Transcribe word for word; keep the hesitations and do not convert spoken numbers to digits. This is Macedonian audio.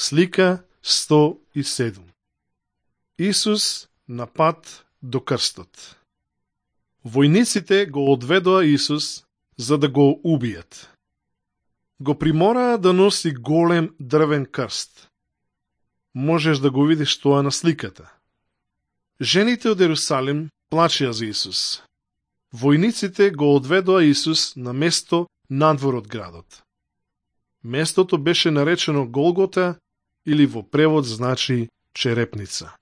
Слика сто и седум. Исус на пат до крстот. Војниците го одведоа Исус за да го убијат. Го примораа да носи голем дрвен крст. Можеш да го видиш тоа на сликата. Жените од Ерусалим плачеа за Исус. Војниците го одведоа Исус на место надвор од градот. Местото беше наречено Голгота или во превод значи черепница.